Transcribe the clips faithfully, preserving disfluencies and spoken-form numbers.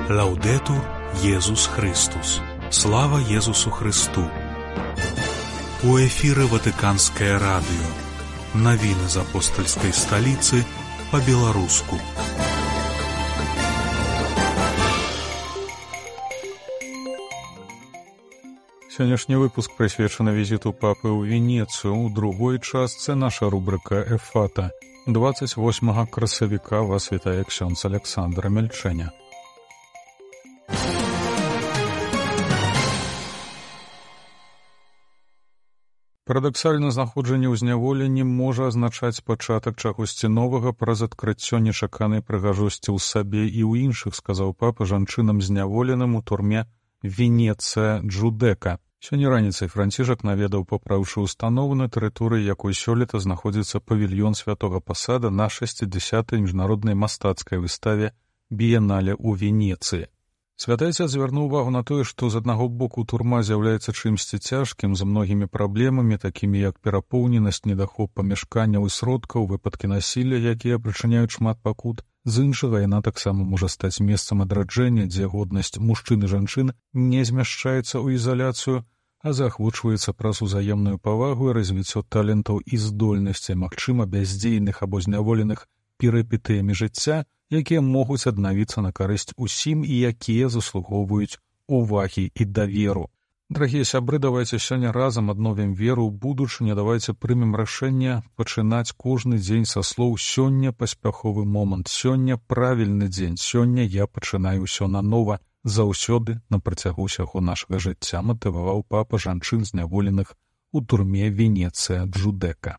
Лаўдэтур Езус Христус. Слава Езусу Христу. У эфіры Ватыканскае радыё. Навіны з апостальскай сталіцы па-беларуску. Сённяшні выпуск прысвечаны візіту папы ў Венецыю. У другой частцы наша рубрыка «Эфата». двадцать восьмага красавіка вас вітае ксёндз Александр Мельчэня. Парадаксальна, знаходжанне ў зняволенні можа азначаць пачатак чагосьці новага праз адкрыццё нечаканай прыгажосці ў сабе і ў іншых, сказаў папа жанчынам зняволеным у турме Венецыя Джудека. Сёння раніцай Францішак наведаў папраўчую установу, на тэрыторыі якой сёлета знаходзіцца павільён святога Пасада на шэсцідзясятай міжнароднай мастацкай выставе «Біенале» ў Венецыі. Святы Отец звярнуў увагу на тое, што з аднаго боку турма з'яўляецца чымсьці цяжкім, з многімі праблемамі, такімі як перапоўненасць, недахоп памяшканняў і сродкаў, выпадкі насілля, якія прычыняюць шмат пакут. З іншага, яна таксама можа стаць месцам адраджэння, дзе годнасць мужчын і жанчын не змяшчаецца ў ізаляцыю, а заахвочваецца праз узаемную павагу і развіццё талентаў і здольнасцей, магчыма, бяздзейных або зняволеных перыпетыямі жыцця, якія могуць аднавіцца на карысць усім і якія заслугоўваюць увагі і даверу. Дарагія сябры, давайце сёння разам адновім веру ў будучыню, давайце прымем рашэнне пачынаць кожны дзень са слоў «Сёння паспяховы момант», «Сёння правільны дзень», «Сёння я пачынаю ўсё нанова», заўсёды на працягу ўсяго нашага жыцця, матываваў папа жанчын зняволеных у турме Венецыя Джудека.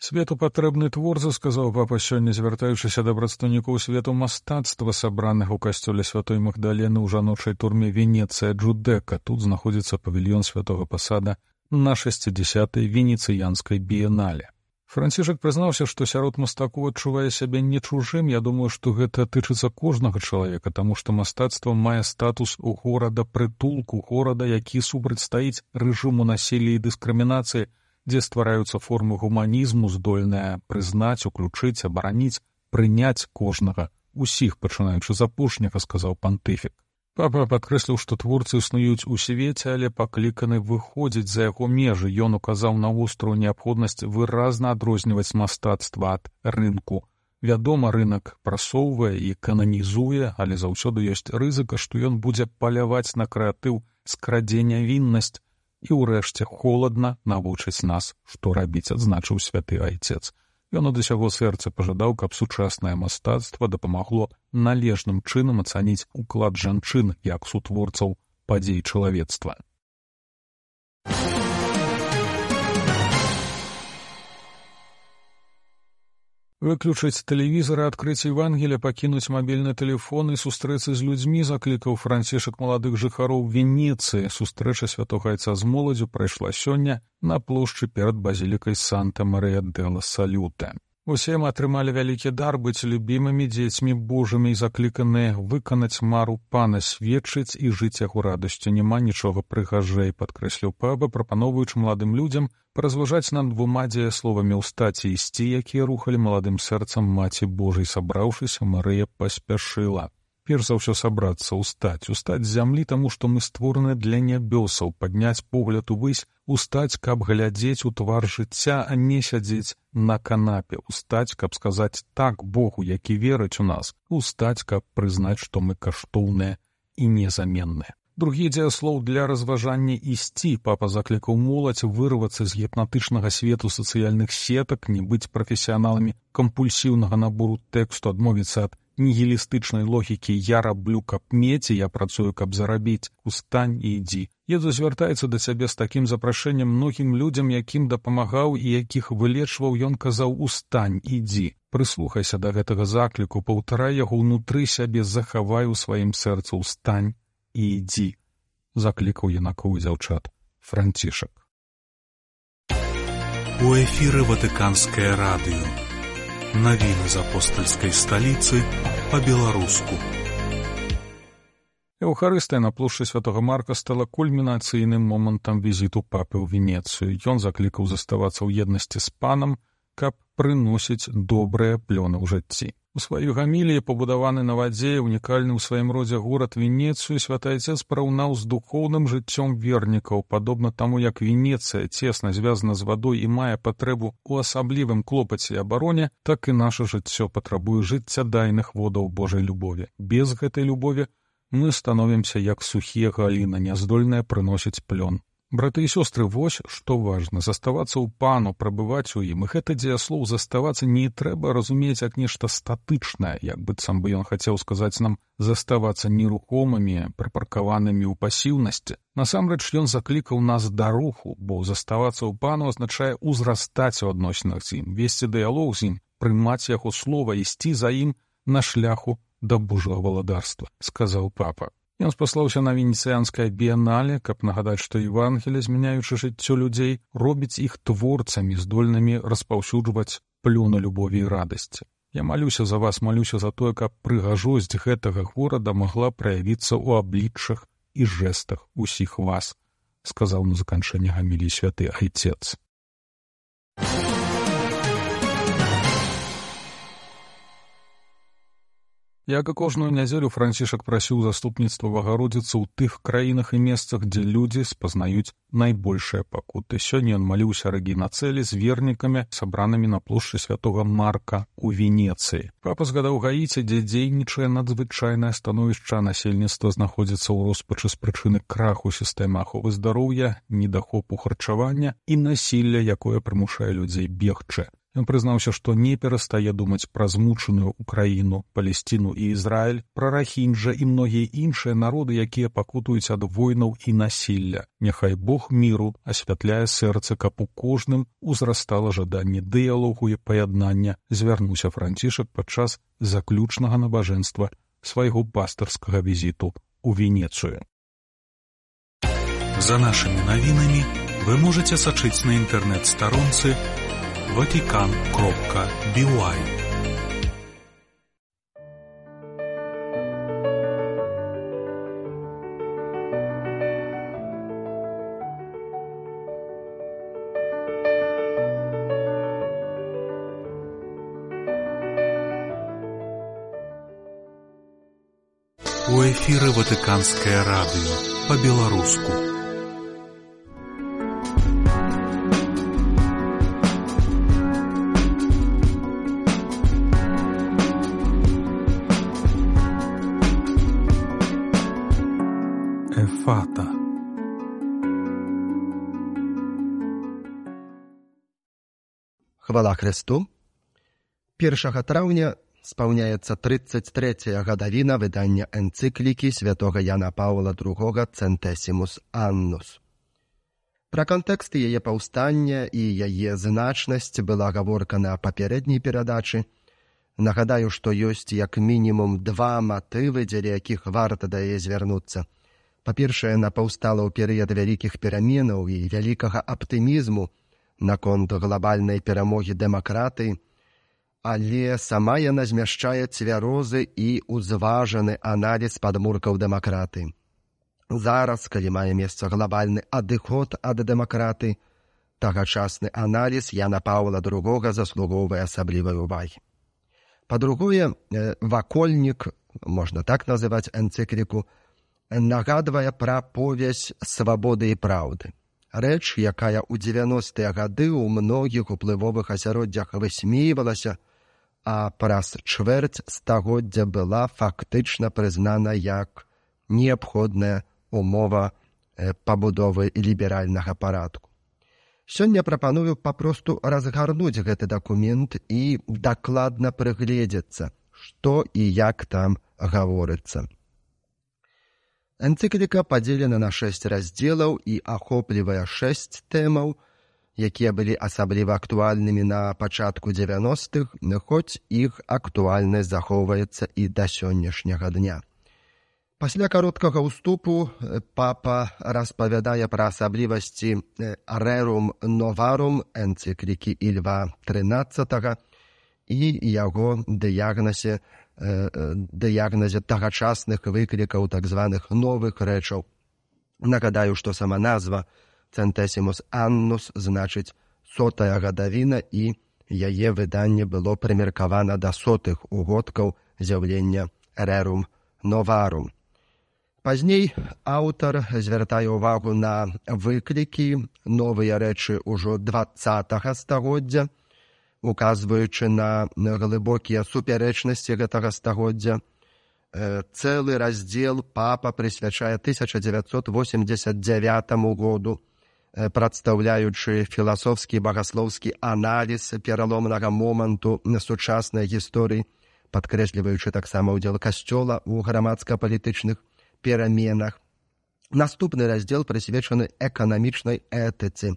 Свету патрэбны творцы, сказаў папа сёння, звяртаючыся да прадстаўнікоў свету мастацтва, сабраных у касцёле святой Магдалены ў жаночай турме Венецыя Джудека. Тут знаходзіцца павільён святога Пасада на шэсцідзясятай венецыянскай біенале. Францішак прызнаўся, што сярод мастакоў адчувае сябе не чужым. Я думаю, што гэта тычыцца кожнага чалавека, таму што мастацтва мае статус у горада прытулку, горада, які супрацьстаіць рэжыму насілля і дыскрымінацыі, дзе ствараюцца формы гуманізму, здольныя прызнаць, уключыць, абараніць, прыняць кожнага, усіх, пачынаючы з апошняга, сказаў пантыфік. Папа падкрэсліў, што творцы існуюць у свеце, але пакліканы выходзіць за яго межы. Ён указаў на вострую неабходнасць выразна адрозніваць мастацтва ад рынку. Вядома, рынак прасоўвае і кананізуе, але заўсёды ёсць рызыка, што ён будзе паляваць на крэатыў, скрадзе нявіннасць, і ўрэшце холадна навучыць нас, што рабіць, адзначыў святы Айцец. Ён ад усяго сэрца пажадаў, каб сучаснае мастацтва дапамагло належным чынам ацаніць уклад жанчын як сутворцаў падзей чалавецтва. Выключыць тэлевізор, адкрыць Евангелие, пакінуць мабільны тэлефон і сустрэцца з людзьмі, заклікаў Францішак маладых жыхароў Венецыі. Сустрэча святога Айца з моладзю прайшла сёння на плошчы перад базілікай Санта-Марыя-дэ-ла-Салюта. Усе мы атрымалі вялікі дар быць любімымі дзецьмі Божымі і закліканыя выканаць мару Пана, сведчыць і жыць яго радасцю. Няма нічога прыгажэй, падкрэсліў папа, прапаноўваючы маладым людзям паразважаць над двума дзеясловамі «устаць» і «ісці», якія рухалі маладым сэрцам Маці Божай. Сабраўшыся, Марыя паспяшыла. Перш за ўсё сабрацца, устаць, устаць з зямлі, таму што мы створаны для нябёсаў, падняць погляд увысь, устаць, каб глядзець у твар жыцця, а не сядзець на канапе, устаць, каб сказаць так Богу, які верыць у нас, устаць, каб прызнаць, што мы каштоўныя і незаменныя. Другі дзеяслоў для разважання «ісці». Папа заклікаў моладзь вырвацца з гіпнатычнага свету сацыяльных сетак, не быць прафесіяналамі кампульсіўнага набору тэксту, адмовіцца ад нігілістычнай логікі «я раблю, каб мець, і я працую, каб зарабіць, устань і ідзі». Езус звяртаецца да цябе з такім запрашэннем многім людзям, якім дапамагаў і якіх вылечваў. Ён казаў «устань, ідзі». Прыслухайся да гэтага закліку, паўтарай яго ўнутры сябе, захавай у сваім сэрцы «устань і ідзі», заклікаў юнакоў і дзяўчат Францішак. У эфіры Ватыканскае радыё. Навіны з апостальскай сталіцы па-беларуску. Еўхарыстыя на плошчы святога Марка стала кульмінацыйным момантам візіту папы ў Венецыю. Ён заклікаў заставацца ў еднасці з панам, каб прыносіць добрыя плёны ў жыцці. У сваёй гаміліі, пабудаваны на вадзе, унікальны ў сваім родзе горад Венецыю, святы Айцец параўнаў з духоўным жыццём вернікаў, падобна таму, як Венецыя цесна звязана з вадой і мае патрэбу ў асаблівым клопаце і абароне, так і наша жыццё патрабуе жыццядайных водаў Божай любові. Без гэтай любові мы становімся як сухія галіны, няздольныя прыносіць плён. Браты і сёстры, вось што важна, заставацца ў Пану, прабываць у ім. І гэта дзеяслоў заставацца не трэба разумець як нешта статычнае, як быццам бы ён хацеў сказаць нам заставацца нерухомымі, прыпаркаванымі ў пасіўнасці. Насамрэч ён заклікаў нас да руху, бо заставацца ў Пану азначае ўзрастаць у адносінах з ім, весці дыялог з ім, прымаць яго слова, ісці за ім на шляху да Божага валадарства, сказаў папа. Ён спаслаўся на венецыянскае біянале, каб нагадаць, што Евангелие, змяняючы жыццё людзей, робіць іх творцамі, здольнымі распаўсюджваць плёну любові і радасці. Я малюся за вас, малюся за тое, каб прыгажосць гэтага горада магла праявіцца ў абліччах і жэстах усіх вас, сказаў на заканчэнне гаміліі святы Айцец. Як і кожную нядзелю, Францішак прасіў заступніцтва Богородицы ў тых краінах і месцах, дзе людзі спазнаюць найбольшыя пакуты. Сёння ён маліўся Рэгіна Цэлі з вернікамі, сабранымі на плошчы святога Марка ў Венецыі. Папа згадаў Гаіці, дзе дзейнічае надзвычайнае становішча, насельніцтва знаходзіцца ў роспачы з прычыны краху сістэмы аховы здароўя, недахопу харчавання і насілля, якое прымушае людзей бегчы. Ён прызнаўся, што не перастае думаць пра змучаную Украіну, Палесціну і Ізраіль, пра Рахінджа і многія іншыя народы, якія пакутуюць ад войнаў і насілля. Няхай Бог міру асвятляе сэрцы, каб у кожным узрастала жаданне дыялогу і паяднання, звярнуўся Францішак падчас заключнага набажэнства свайго пастырскага візіту ў Венецыю. За нашымі навінамі вы можаце сачыць на інтэрнэт-старонцы ватикан кропка би уай. У эфіры Ватыканскае радыё па-беларуску. Ефата. Хвала Христу. першага траўня спаўняецца трыццаць трэцяя гадавіна выдання энцыклікі святога Яна Паўла другога «Центесімус Аннус». Пра кантэкст яе паўстання і яе значнасць была гаворка на папярэдняй перадачы. Нагадаю, што ёсць як мінімум два матывы, дзеля якіх варта да яе звярнуцца. Па-першае, яна паўстала ў перыяд вялікіх пераменаў і вялікага аптымізму наконт глобальнай перамогі дэмакратыі, але сама яна змяшчае цвярозы і узважаны аналіз падмуркаў дэмакратыі. Зараз, калі мае месца глобальны адыход ад дэмакратыі, тагачасны аналіз Яна Паўла другога заслугоўвае асаблівай увагі. Па-другое, вакольнік, можна так называць энцыкліку, нагадвае пра повязь свабоды і праўды. Рэч, якая ў дзевяностыя гады ў многіх уплывовых асяроддзях высмейвалася, а праз чвэрць стагоддзя была фактычна прызнана як неабходная умова пабудовы ліберальнага парадку. Сёння прапаную папросту разгарнуць гэты дакумент і дакладна прыгледзецца, што і як там гаворыцца. Энцыкліка падзелена на шэсць раздзелаў і ахоплівае шэсць тэмаў, якія былі асабліва актуальнымі на пачатку дзевяностых, хоць іх актуальнасць захоўваецца і да сённяшняга дня. Пасля кароткага ўступу папа распавядае пра асаблівасці «Рерум новарум» энцыклікі Ільва трынаццатага і яго дыягназе дыягназе тагачасных выклікаў так званых новых рэчаў. Нагадаю, што сама назва «Центесімус Аннус» значыць «сотая гадавіна» і яе выданне было прымеркавана да сотых угодкаў з'яўлення Rerum Novarum. Пазней аўтар звяртае ўвагу на выклікі, новыя рэчы ўжо дваццатага стагоддзя, указваючы на глыбокія супярэчнасці гэтага стагоддзя. Цэлы раздзел папа прысвячае тысяча дзевяцьсот восемьдзесят дзявятаму году, прадстаўляючы філасофскі багаслоўскі аналіз пераломнага моманту сучаснай гісторыі, падкрэсліваючы таксама ўдзел касцёла ў грамадска-палітычных пераменах. Наступны раздзел прысвечаны эканамічнай этыцы,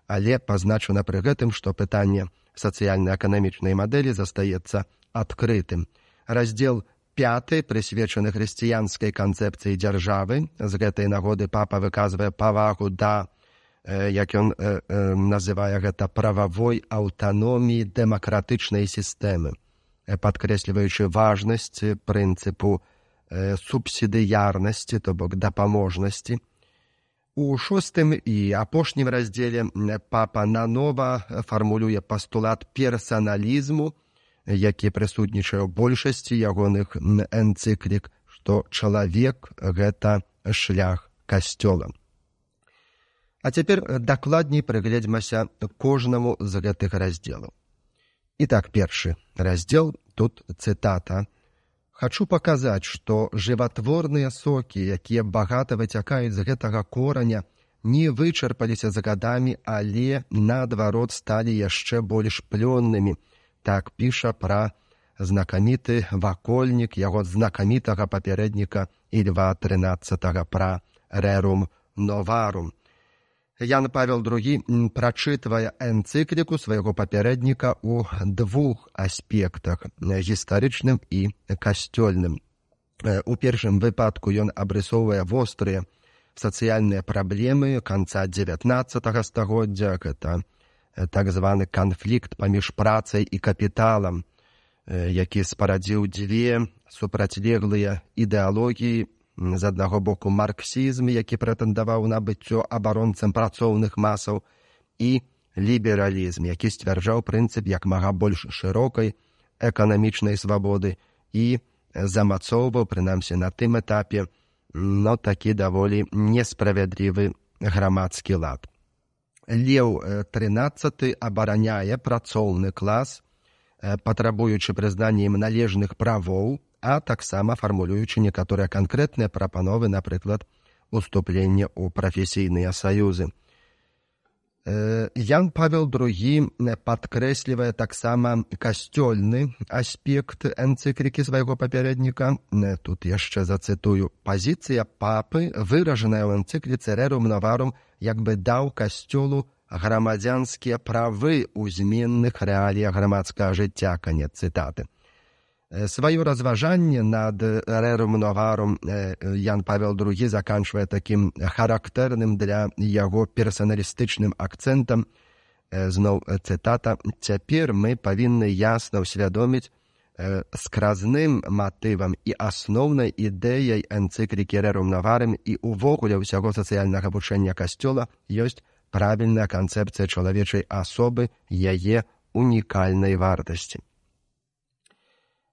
але пазначана пры гэтым, што пытанне сацыяльна-эканамічнай мадэлі застаецца адкрытым. Раздзел пяты прысвечаны хрысціянскай канцэпцыі дзяржавы. З гэтай нагоды папа выказвае павагу да, як ён называе гэта, прававой аўтаноміі дэмакратычнай сістэмы, падкрэсліваючы важнасць прынцыпу субсідыярнасці, то бок дапаможнасці. У шостым і апошнім раздзеле папа нанова фармулюе пастулат персаналізму, які прысутнічае ў большасці ягоных энцыклік, што чалавек – гэта шлях касцёла. А цяпер дакладней прыгледзьмася кожнаму з гэтых раздзелаў. І так, першы раздзел, тут цытата. «Хачу паказаць, што жыватворныя сокі, якія багата выцякаюць з гэтага кораня, не вычарпаліся за гадамі, але, наадварот, сталі яшчэ больш плённымі». Так піша пра знакаміты вакольнік яго знакамітага папярэдніка Ільва трынаццатага пра Rerum Novarum. Ян Павел другі прачытвае энцыкліку свайго папярэдніка ў двух аспектах – гістарычным і касцёльным. У першым выпадку ён абрысоўвае вострыя сацыяльныя праблемы канца дзевятнаццатага стагоддзя, гэта так званы канфлікт паміж працай і капіталам, які спарадзіў дзве супрацьлеглыя ідэалогіі. З аднаго боку марксізм, які прэтэндаваў на быццё абаронцам працоўных масаў, і лібералізм, які сцвярджаў прынцып як мага больш шырокай эканамічнай свабоды і замацоўваў, прынамсі на тым этапе, но такі даволі несправядлівы грамадскі лад. Леў трынаццаты абараняе працоўны клас, патрабуючы прызнання ім належных правоў, а таксама фармулюючы некаторыя канкрэтныя прапановы, напрыклад, уступленне ў прафесійныя саюзы. Ян Павел другі падкрэслівае таксама касцёльны аспект энцыклікі свайго папярэдніка. Тут яшчэ зацытую. «Пазіцыя папы, выражаная ў энцыкліцы Rerum Novarum, як бы даў касцёлу грамадзянскія правы ў зменных рэаліях грамадскага жыцця». Канец цытаты. Сваё разважанне над Rerum Novarum Ян Павел другі заканчвае такім характэрным для яго персаналістычным акцэнтам. Зноў цытата. «Цяпер мы павінны ясна ўсвядоміць скразным матывам і асноўнай ідэяй энцыклікі Rerum Novarum і ўвогуле ўсяго сацыяльнага вучэння касцёла ёсць правільная канцэпцыя чалавечай асобы, яе унікальнай вартасці».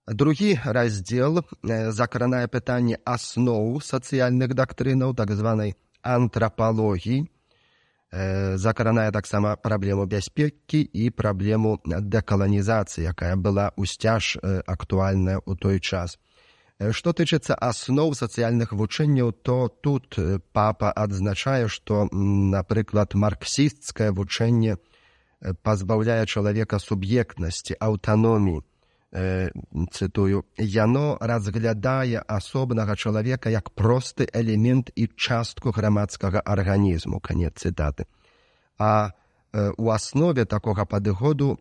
Другі раздзел закранае пытанне асноў сацыяльных дактрынаў, так званай антрапалогіі, закранае таксама праблему бяспекі і праблему дэкаланізацыі, якая была ўсцяж актуальная ў той час. Што тычыцца асноў сацыяльных вучэнняў, то тут папа адзначае, што, напрыклад, марксісцкае вучэнне пазбаўляе чалавека суб'ектнасці, аўтаноміі. Цытую, «Яно разглядае асобнага чалавека як просты элемент і частку грамадскага арганізму». Канец цытаты. А у аснове такога падыходу,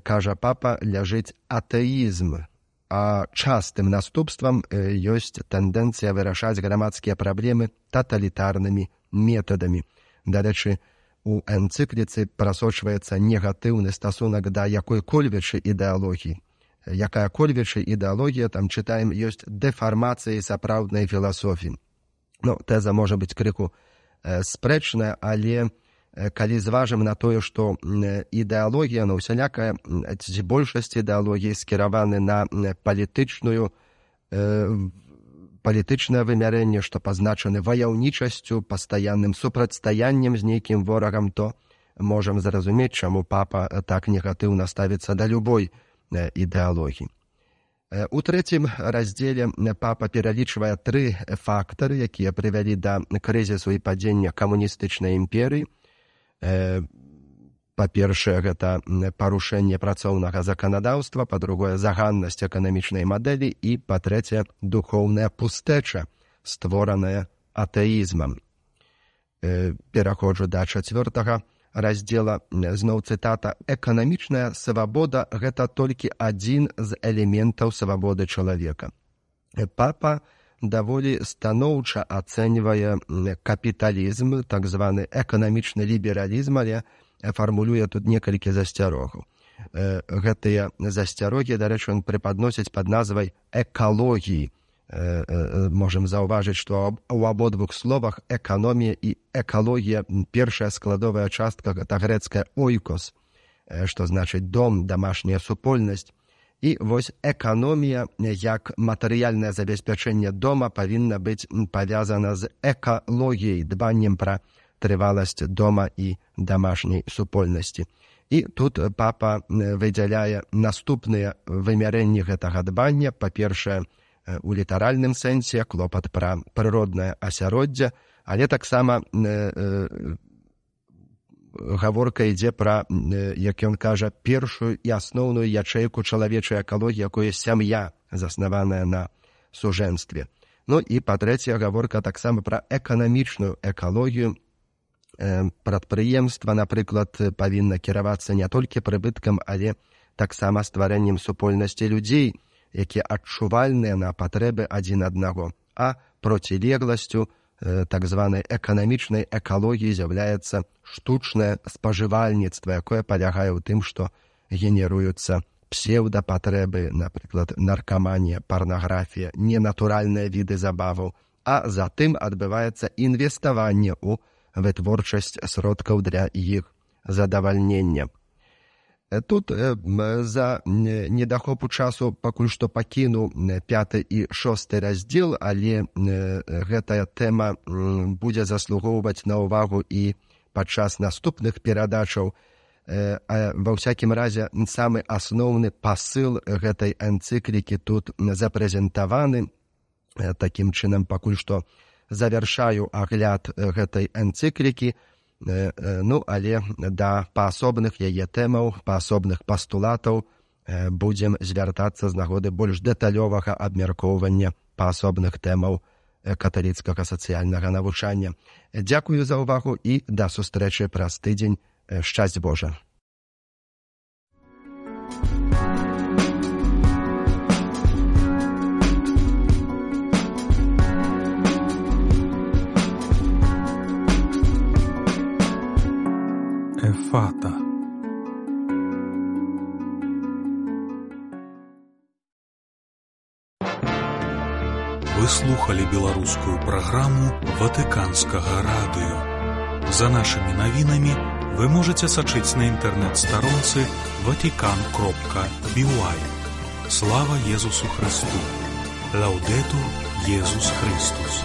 кажа папа, ляжыць атэізм, а частым наступствам ёсць тэндэнцыя вырашаць грамадскія праблемы таталітарнымі метадамі. Дарэчы, у энцыкліцы прасочваецца негатыўны стасунак да якой-кольвечы ідэалогіі. Якая-кольвечы ідэалогія, там чытаем, ёсць дэфармацыяй сапраўднай філасофіі. Ну, тэза можа быць крыху спрэчная, але калі зважым на тое, што ідэалогія, ну, усялякая, ці большасць ідэалогіі скіраваны на палітычную, палітычнае вымярэнне, што пазначаны ваяўнічасцю, пастаянным супрацьстаяннем з нейкім ворагам, то можам зразумець, чаму папа так негатыўна ставіцца да любой ідэалогіі. У трэцім раздзеле папа пералічвае тры фактары, якія прывялі да крызісу і падзення камуністычнай імперыі. Па-першае, гэта парушэнне працоўнага заканадаўства, па-другое, заганнасць эканамічнай мадэлі і, па-трэцяе, духоўная пустэча, створаная атэізмам. Пераходжу да чацвёртага раздзела, зноў цытата: «Эканамічная свабода – гэта толькі адзін з элементаў свабоды чалавека». Папа даволі станоўча ацэньвае капіталізм, так званы эканамічны лібералізм, але фармулюе тут некалькі засцярогаў. Гэтыя засцярогі, дарэчы, ён прыпадносіць пад назвай экалогіі. Можам заўважыць, што ў абодвух словах эканомія і экалогія, першая складовая частка — гэта грэцкая «ойкос», што значыць дом, дамашняя супольнасць. І вось эканомія як матэрыяльнае забеспячэнне дома павінна быць павязана з экалогіяй, дбаннем пра трываласць дома і дамашняй супольнасці. І тут папа выдзяляе наступныя вымярэнні гэтага дбання. Па-першае, у літаральным сэнсе клопат пра прыроднае асяроддзе, але таксама гаворка ідзе пра, як ён кажа, першую і асноўную ячэйку чалавечай экалогіі, якое сям'я, заснаваная на сужэнстве. Ну і па-трэцяе, гаворка таксама пра эканамічную экалогію. Прадпрыемства, напрыклад, павінна кіравацца не толькі прыбыткам, але таксама стварэннем супольнасці людзей, якія адчувальныя на патрэбы адзін аднаго. А процілегласцю так званай эканамічнай экалогіі з'яўляецца штучнае спажывальніцтва, якое палягае ў тым, што генеруюцца псеўдапатрэбы, напрыклад, наркаманія, парнаграфія, ненатуральныя віды забаваў, а затым адбываецца інвеставанне ў вытворчасць сродкаў для іх задавальнення. Тут за недахопу часу пакуль што пакіну пяты і шосты раздзел, але гэтая тэма будзе заслугоўваць на ўвагу і падчас наступных перадачаў. Ва ўсякім разе, самы асноўны пасыл гэтай энцыклікі тут запрэзентаваны. Такім чынам, пакуль што завяршаю агляд гэтай энцыклікі. Ну, але да паасобных яе тэмаў, паасобных пастулатаў будзем звяртацца з нагоды больш дэталёвага абмяркоўвання паасобных тэмаў каталіцкага сацыяльнага навучання. Дзякую за ўвагу і да сустрэчы праз тыдзень. Шчасць Божа! Эфата. Вы слухали беларускую праграму Ватыканскага радыё. За нашымі навінамі вы можаце сачыць на інтэрнэт-старонцы ватикан кропка би уай. Слава Езусу Христу! Лаўдэтур Езус Христус!